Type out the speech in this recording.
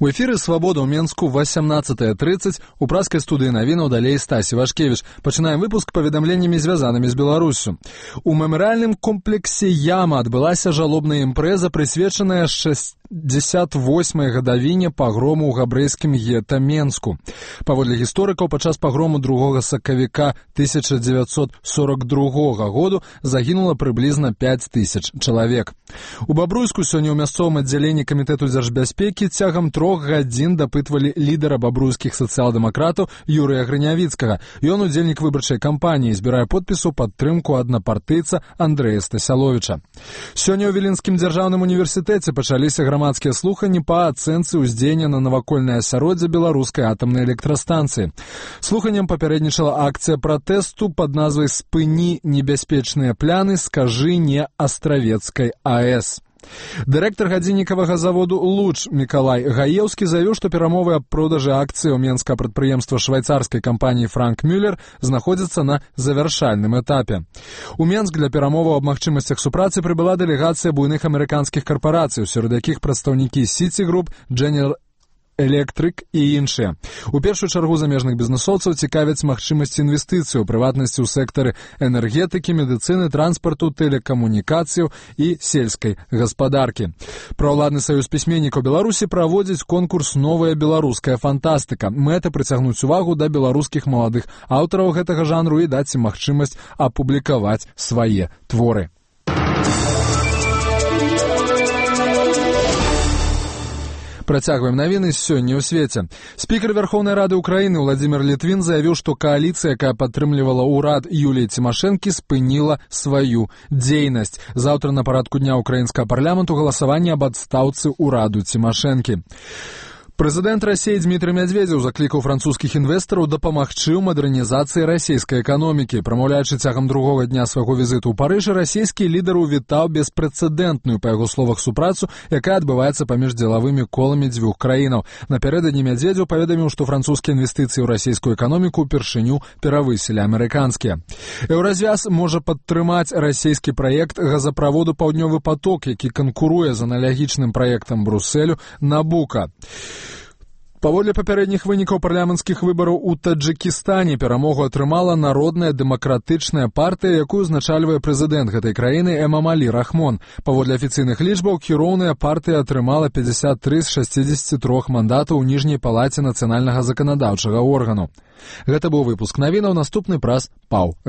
У эфіры «Свабода» ў Менску 18:30, у праскай студыі навінаў далей Стась Івашкевіч. Пачынаем выпуск паведамленнямі, звязанымі з Беларуссю. У мемарыяльным комплексе «Яма» адбылася жалобная імпрэза, прысвечаная 68-й гадавіне пагрому ў габрэйскім гета Менску. Паводле гісторыкаў, падчас пагрому 2 сакавіка 1942 году загінула прыблізна 5000 чалавек. У Бабруйску сёння ў мясцовым аддзяленні камітэту дзяржбяспекі цягам 3 гадзін дапытвалі лідара бабруйскіх сацыял-дэмакратаў Юрыя Грынявіцкага. Ён удзельнік выбарчай кампаніі, збірае подпіс у падтрымку аднапартыйца Андрэя Стасяловіча. Сёння ў Віленскім дзяржаўным універсітэце пачаліся грамадскія слуханні па ацэнцы ўздзеяння на навакольнае асяроддзе беларускай атамнай электрастанцыі. Слуханням папярэднічала акцыя пратэсту пад назвай «Спыні небяспечныя пляны, скажы не Астравецкай АЭС». Дырэктар гадзіннікавага заводу «Луч» Мікалай Гаеўскі заявіў, што перамовы аб продажы акцый у менскага прадпрыемства швайцарскай кампаніі «Франк Мюллер» знаходзяцца на завяршальным этапе. У Менск для перамоваў аб магчымасцях супрацы прыбыла дэлегацыя буйных амерыканскіх карпарацый, сярод якіх прадстаўнікі City Group, General Electric і іншыя. У першую чаргу замежных бізнесоўцаў цікавяць магчымасці інвестыцый, у прыватнасці ў сектары энергетыкі, медыцыны, транспарту, тэлекамунікацыяў і сельскай гаспадаркі. Праўладны саюз пісьменнікаў Беларусі праводзіць конкурс «Новая беларуская фантастыка». Мэта прыцягнуць увагу да беларускіх маладых аўтараў гэтага жанру і даць ім магчымасць апублікаваць свае творы. Працягваем навіны сёння ў свеце. Спікер Верховнай Рады Украіны Владзімір Літвін заявіў, што кааліцыя, якая падтрымлівала ўрад Юліі Цімашэнкі, спыніла сваю дзейнасць. Заўтра на парадку дня украінскага парламенту галасаванне аб адстаўцы ўраду Цімашэнкі. Прэзідэнт Расіі Дмітрый Мядзведзеў заклікаў французскіх інвестараў дапамагчы ў мадэрнізацыі расійскай эканомікі. Прамаўляючы цягам другога дня свайго візіту ў Парыжы, расійскі лідар увітаў беспрэцэдэнтную, па яго словах, супрацу, якая адбываецца паміж дзелавымі коламі дзвюх краінаў. Напярэдадні Мядзведзеў паведаміў, што французскія інвестыцыі ў расійскую эканоміку ўпершыню перавысілі амерыканскія. Еўразвяз можа падтрымаць расійскі праект газаправоду «Паўднёвы паток», які канкуруе з аналагічным праектам Брусэлю «Набука». Паводле папярэдніх вынікаў парламенцкіх выбараў у Таджыкістане перамогу атрымала Народная дэмакратычная партыя, якую узначальвае прэзідэнт гэтай краіны Эмамалі Рахмон. Паводле афіцыйных лічбаў, кіроўная партыя атрымала 53 з 63 мандатаў у ніжняй палаце нацыянальнага заканадаўчага органу. Гэта быў выпуск навінаў, наступны праз паў.